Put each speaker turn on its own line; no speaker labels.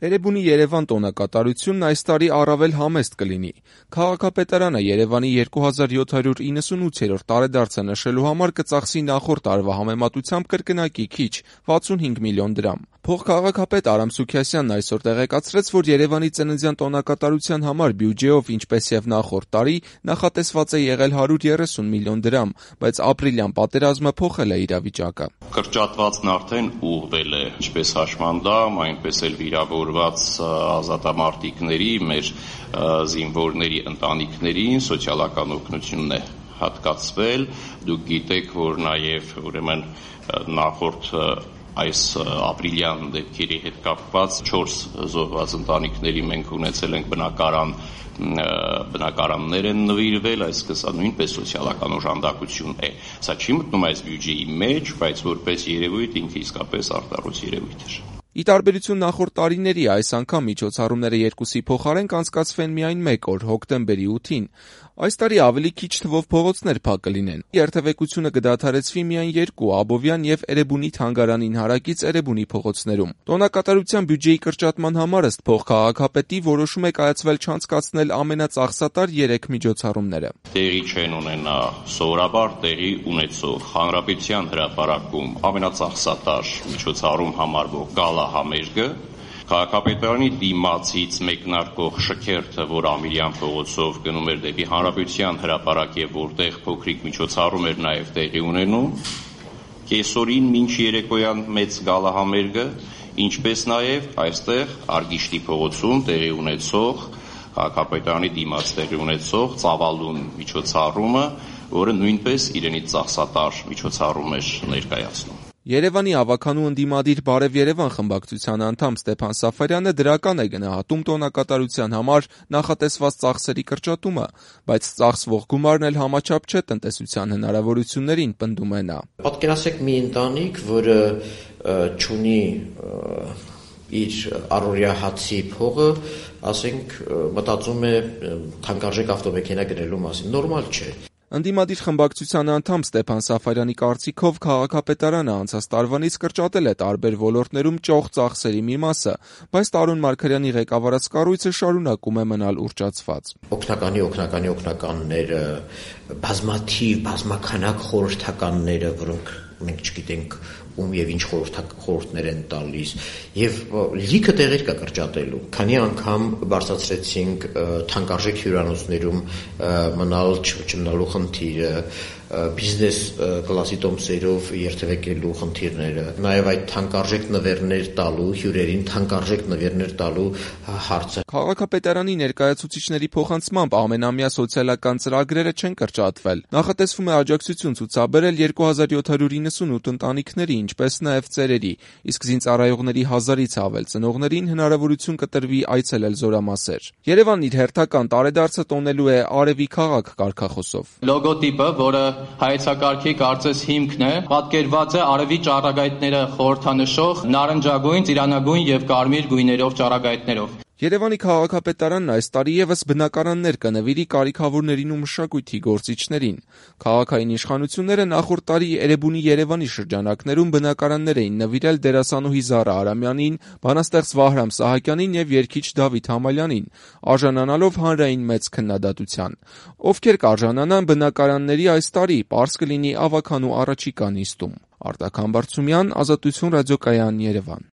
Էրեբունի Երևան տոնակատարությունն այս տարի առավել համեստ կլինի։ Քաղաքապետարանը Երևանի 2798-րդ տարեդարձը նշելու համար կծախսի նախորդ տարվա համեմատությամբ կրկնակի քիչ՝ 65 միլիոն դրամ։ Փոխքաղաքապետ Արամ Սուքիասյանն այսօր տեղեկացրեց, որ Երևանի ծննդյան տոնակատարության համար բյուջեով, ինչպես եւ նախորդ տարի, նախատեսված է եղել 130 միլիոն դրամ, բայց ապրիլյան պատերազմը փոխել է իրավիճակը։
Կրճատվածն արդեն ուղղվել է, ինչպես հաշմանդամ, այնպես էլ վիրավորված ազատամարտիկների, մեր զինվորների ընտանիքներին սոցիալական օգնությունն է հատկացվել։ Դուք գիտեք, որ նաև ուրեմն նախորդ այս ապրիլյան դեպքերի հետ կապված 4 զոհված ընտանիքների մենք ունեցել ենք բնակարաններ են նվիրվել, այսինքն սա նույնպես սոցիալական օժանդակություն է։ Սա չի մտնում այս բյուջեի մեջ, բայց որպես երևույթ ինքը իսկապես արտարոց երևույթ է։
Ի տարբերություն նախորդ տարիների, այս անգամ միջոցառումները 2-ի փոխարեն կանցկացվեն միայն 1 օր՝ հոկտեմբերի 8-ին։ Այս տարի ավելի քիչ թվով փողոցներ փակ կլինեն։ Երթևեկությունը կդադարեցվի միայն 2՝ Աբովյան եւ Էրեբունի թանգարանին հարակից Էրեբունի փողոցներում։ Տոնակատարության բյուջեի կրճատման համար ըստ փոխքաղաքապետի որոշում է կայացվել չանցկացնել ամենածախսատար 3 միջոցառումները։
Տեղի չեն ունենա սովորաբար տեղի ունեցող Հանրապետության հրապարակում ամենածախսատար միջոցառում համարվող գալա համերգը, քաղաքապետարանի դիմացից մեկնարկող շքերթը, որ Ամիրյան փողոցով գնում էր դեպի Հանրապետության հրապարակ եւ որտեղ փոքրիկ միջոցառում էր նաեւ տեղի ունենում, կեսօրին մինչ երեկոյան մեծ գալահամերգը, ինչպես նաեւ այստեղ Արգիշտի փողոցում տեղի ունեցող քաղաքապետարանի դիմաց տեղի ունեցող ծավալուն միջոցառումը, որը նույնպես իրենից ծախսատար միջոցառում էր ներկայացնում։
Երևանի ավականու ընդդիմադիր «Բարև Երևան» խմբակցության անդամ Ստեփան Սաֆարյանը դրական է գնահատում տոնակատարության համար նախատեսված ծախսերի կրճատումը, բայց ծախսվող գումարն էլ համաչափ չէ տնտեսության հնարավորություններին, պնդում է նա։
Պատկերացրեք մի ընտանիք, որը չունի իր առօրյա հացի փողը, ասենք մտածում է թանկարժեք ավտոմեքենա գնելու մասին, նորմալ չէ։
Ընդդիմադիր խմբակցության անդամ Ստեփան Սաֆարյանի կարծիքով քաղաքապետարանը անցած տարվանից կրճատել է տարբեր ոլորտներում ճոխ ծախսերի մի մասը, բայց Տարոն Մարգարյանի ղեկավարած կառույցը շարունակում է մնալ ուռճացված։
Օգնականները, բազմաքանակ խորհրդականները, որոնք մենք չգիտենք ում եւ ինչ խորհուրդներ են տալիս, եւ լիքը տեղեր կա կրճատելու։ Քանի անգամ բարձրացրեցինք թանկարժեք հյուրանոցներում մնալու խնդիրը, բիզնես կլասի տոմսերով երթևեկելու խնդիրները, նաեւ այդ թանկարժեք նվերներ տալու հյուրերին թանկարժեք նվերներ տալու հարցը։
Քաղաքապետարանի ներկայացուցիչների փոխանցմամբ ամենամյա սոցիալական ծրագրերը չեն կրճատվել։ Նախատեսվում է աջակցություն ցուցաբերել 2798 ընտանիքների, ինչպես նաեւ ծերերի, իսկ զինծառայողների 1000-ից ավել ծնողներին հնարավորություն կտրվի այցելել զորամասեր։ Երևանն իր հերթական տարեդարձը տոնելու է «Արևի քաղաք» կարգախոսով։
Լոգոտիպը, որը հայեցակարգի կարծես հիմքն է, պատկերված է արևի ճառագայթները խորհրդանշող նարնջագույն, ծիրանագույն եւ կարմիր գույներով ճառագայթներով։
Երևանի քաղաքապետարանն այս տարի եւս բնակարաններ կնվիրի կարիքավորներին ու մշակույթի գործիչներին։ Քաղաքային իշխանությունները նախորդ տարի Էրեբունի Երևանի շրջանակներում բնակարաններ էին նվիրել դերասանուհի Զարա Արամյանին, բանաստեղծ Վահրամ Սահակյանին եւ երգիչ Դավիթ Համալյանին, արժանանալով հանրային մեծ քննադատության։ Ովքեր կարժանանան բնակարանների այս տարի, պարզ կլինի ավականու առաջիկա նիստում։ Արտակ Համբարձումյան, Ազատություն ռադիոկայան, Երևան։